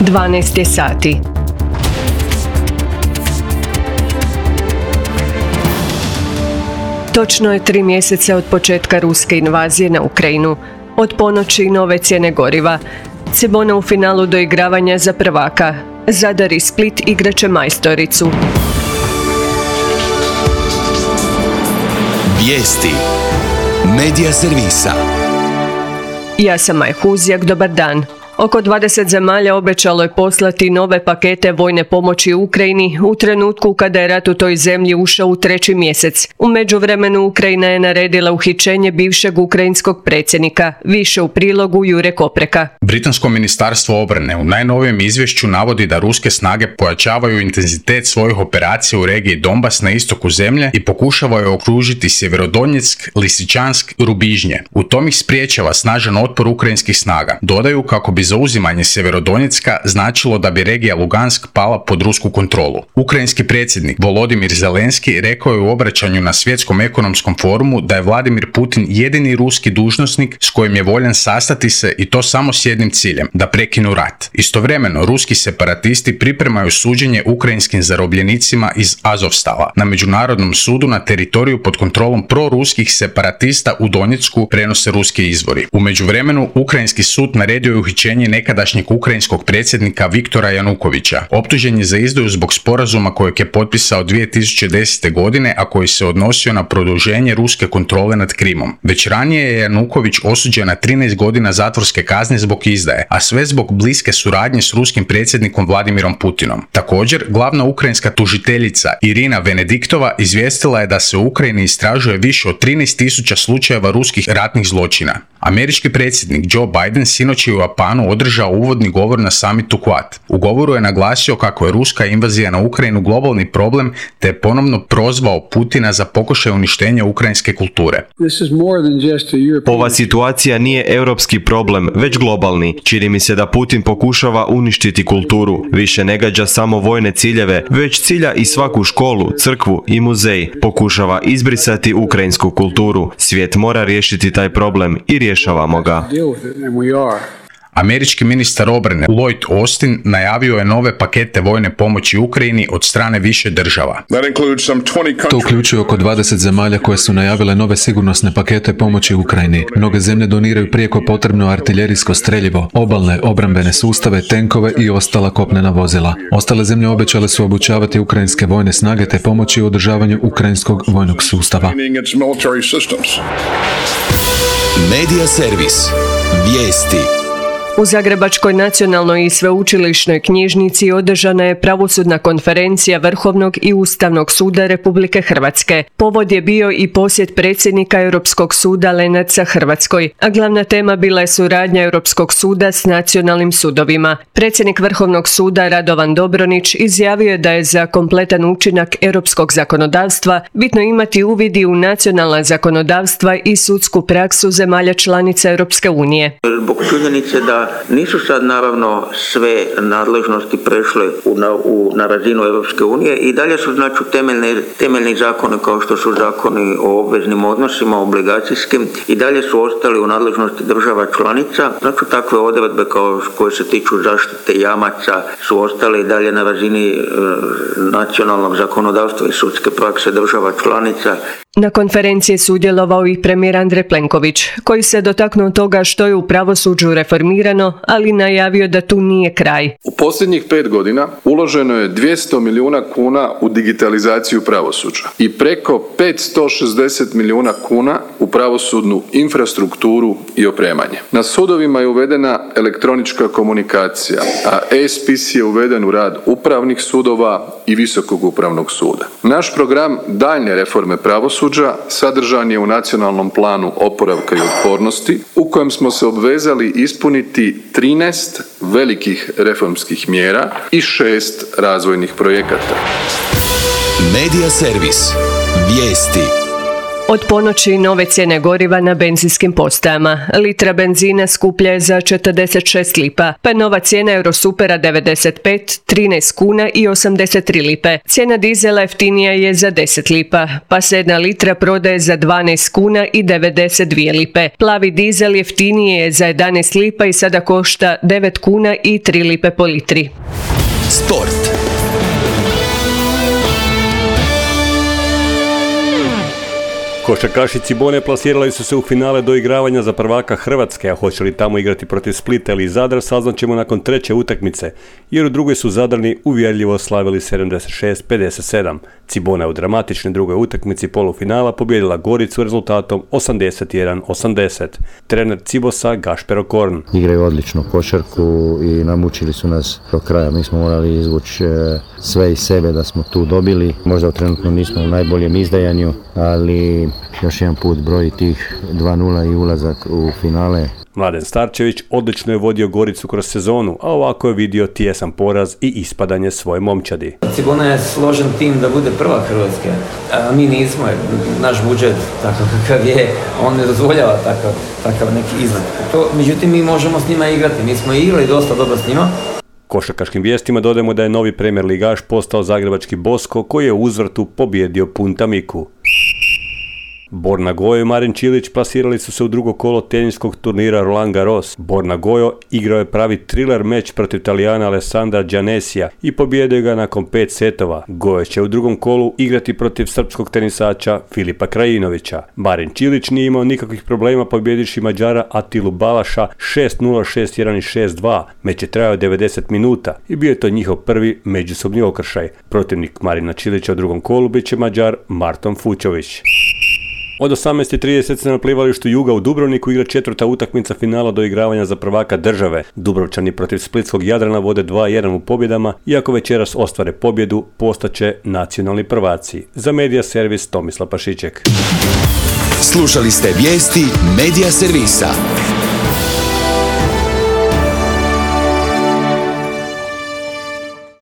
12 je sati. Točno je 3 mjeseca od početka ruske invazije na Ukrajinu. Od ponoći nove cijene goriva. Cibona u finalu doigravanja za prvaka. Zadar i Split igraće majstoricu. Vijesti. Medija servisa. Ja sam Maj Huzjak, dobar dan. Oko 20 zemalja obećalo je poslati nove pakete vojne pomoći Ukrajini u trenutku kada je rat u toj zemlji ušao u 3. mjesec. U međuvremenu Ukrajina je naredila uhićenje bivšeg ukrajinskog predsjednika. Više u prilogu Jure Kopreka. Britansko ministarstvo obrane u najnovijem izvješću navodi da ruske snage pojačavaju intenzitet svojih operacija u regiji Donbas na istoku zemlje i pokušavaju okružiti Sjeverodonjeck, Lisičansk i Rubižnje. U tom ih spriječava snažan otpor ukrajinskih snaga. Dodaju kako bi zauzimanje Sjeverodonjecka značilo da bi regija Lugansk pala pod rusku kontrolu. Ukrajinski predsjednik Volodimir Zelenski rekao je u obraćanju na Svjetskom ekonomskom forumu da je Vladimir Putin jedini ruski dužnosnik s kojim je voljan sastati se i to samo s jednim ciljem, da prekinu rat. Istovremeno, ruski separatisti pripremaju suđenje ukrajinskim zarobljenicima iz Azovstala na Međunarodnom sudu na teritoriju pod kontrolom proruskih separatista u Donjecku, prenose ruski izvori. U međuvremenu, ukrajinski sud naredio je uhićenje nekadašnjeg ukrajinskog predsjednika Viktora Janukovića. Optužen je za izdaju zbog sporazuma kojeg je potpisao 2010. godine, a koji se odnosio na produženje ruske kontrole nad Krimom. Već ranije je Januković osuđen na 13 godina zatvorske kazne zbog izdaje, a sve zbog bliske suradnje s ruskim predsjednikom Vladimirom Putinom. Također, glavna ukrajinska tužiteljica Irina Venediktova izvijestila je da se u Ukrajini istražuje više od 13.000 slučajeva ruskih ratnih zločina. Američki predsjednik Joe Biden sinoć je u Japanu održao uvodni govor na summitu Quad. U govoru je naglasio kako je ruska invazija na Ukrajinu globalni problem, te je ponovno prozvao Putina za pokušaj uništenja ukrajinske kulture. Ova situacija nije europski problem, već globalni. Čini mi se da Putin pokušava uništiti kulturu. Više ne gađa samo vojne ciljeve, već cilja i svaku školu, crkvu i muzej. Pokušava izbrisati ukrajinsku kulturu. Svijet mora riješiti taj problem i rješavamo ga. Američki ministar obrane Lloyd Austin najavio je nove pakete vojne pomoći Ukrajini od strane više država. To uključuje oko 20 zemalja koje su najavile nove sigurnosne pakete pomoći Ukrajini. Mnoge zemlje doniraju prijeko potrebno artiljerijsko streljivo, obalne obrambene sustave, tenkove i ostala kopnena vozila. Ostale zemlje obećale su obučavati ukrajinske vojne snage te pomoći u održavanju ukrajinskog vojnog sustava. Medija servis. Vijesti. U Zagrebačkoj nacionalnoj i sveučilišnoj knjižnici održana je pravosudna konferencija Vrhovnog i Ustavnog suda Republike Hrvatske. Povod je bio i posjet predsjednika Europskog suda Lenartsa Hrvatskoj, a glavna tema bila je suradnja Europskog suda s nacionalnim sudovima. Predsjednik Vrhovnog suda Radovan Dobronić izjavio je da je za kompletan učinak europskog zakonodavstva bitno imati uvid u nacionalna zakonodavstva i sudsku praksu zemalja članica Europske unije. Zbog činjenice da nisu sad naravno sve nadležnosti prešle na razinu Europske unije i dalje su znači temeljni zakoni kao što su zakoni o obveznim odnosima, obligacijskim i dalje su ostali u nadležnosti država članica. Znači takve odredbe koje se tiču zaštite jamaca su ostale i dalje na razini nacionalnog zakonodavstva i sudske prakse država članica. Na konferenciji je sudjelovao i premijer Andrej Plenković, koji se dotaknuo toga što je u pravosuđu reformirano, ali najavio da tu nije kraj. U posljednjih 5 godina uloženo je 200 milijuna kuna u digitalizaciju pravosuđa i preko 560 milijuna kuna u pravosudnu infrastrukturu i opremanje. Na sudovima je uvedena elektronička komunikacija, a e-spis je uveden u rad upravnih sudova i Visokog upravnog suda. Naš program daljnje reforme pravosuđa sadržan je u Nacionalnom planu oporavka i otpornosti, u kojem smo se obvezali ispuniti 13 velikih reformskih mjera i 6 razvojnih projekata. Medija servis. Vijesti. Od ponoći nove cijene goriva na benzinskim postajama. Litra benzina skuplja je za 46 lipa, pa je nova cijena Eurosupera 95, 13 kuna i 83 lipe. Cijena dizela jeftinija je za 10 lipa, pa se 1 litra prodaje za 12 kuna i 92 lipe. Plavi dizel jeftiniji je za 11 lipa i sada košta 9 kuna i 3 lipe po litri. Sport. Košarkaši Cibone plasirali su se u finale doigravanja za prvaka Hrvatske, a hoće li tamo igrati protiv Splita ili Zadra saznaćemo nakon treće utakmice, jer u drugoj su Zadrani uvjerljivo slavili 76-57. Cibona je u dramatičnoj drugoj utakmici polufinala pobijedila Goricu rezultatom 81-80. Trener Cibosa Gašper Okorn. Igraju odličnu košarku i namučili su nas do kraja. Mi smo morali izvući sve iz sebe da smo tu dobili. Možda trenutno nismo u najboljem izdajanju, ali još jedan put broj tih 2-0 i ulazak u finale. Mladen Starčević odlično je vodio Goricu kroz sezonu, a ovako je vidio tijesan poraz i ispadanje svoje momčadi. Cibona je složen tim da bude prva Hrvatske, a mi nismo, naš budžet takav kakav je, on ne dozvoljava takav neki izgled. Međutim, mi možemo s njima igrati, mi smo igrali dosta dobro s njima. Košarkaškim vijestima dodajemo da je novi premijer ligaš postao zagrebački Bosko koji je u uzvrtu pobijedio Punta Miku. Borna Gojo i Marin Čilić plasirali su se u drugo kolo teniskog turnira Roland Garros. Borna Gojo igrao je pravi thriller meč protiv Talijana Alessandra Gianesija i pobijedio ga nakon 5 setova. Gojo će u drugom kolu igrati protiv srpskog tenisača Filipa Krajinovića. Marin Čilić nije imao nikakvih problema pobjedivši Mađara Atilu Balaša 6-0, 6-1 i 6-2. Meč je trajao 90 minuta i bio je to njihov prvi međusobni okršaj. Protivnik Marina Čilića u drugom kolu bit će Mađar Marton Fučović. Od 18:30 se na plivalištu Juga u Dubrovniku igra četvrta utakmica finala doigravanja za prvaka države. Dubrovčani protiv splitskog Jadrana vode 2-1 u pobjedama, iako večeras ostvare pobjedu, postaće nacionalni prvaci. Za Medija Servis Tomislav Pašiček. Slušali ste vijesti Medija Servisa.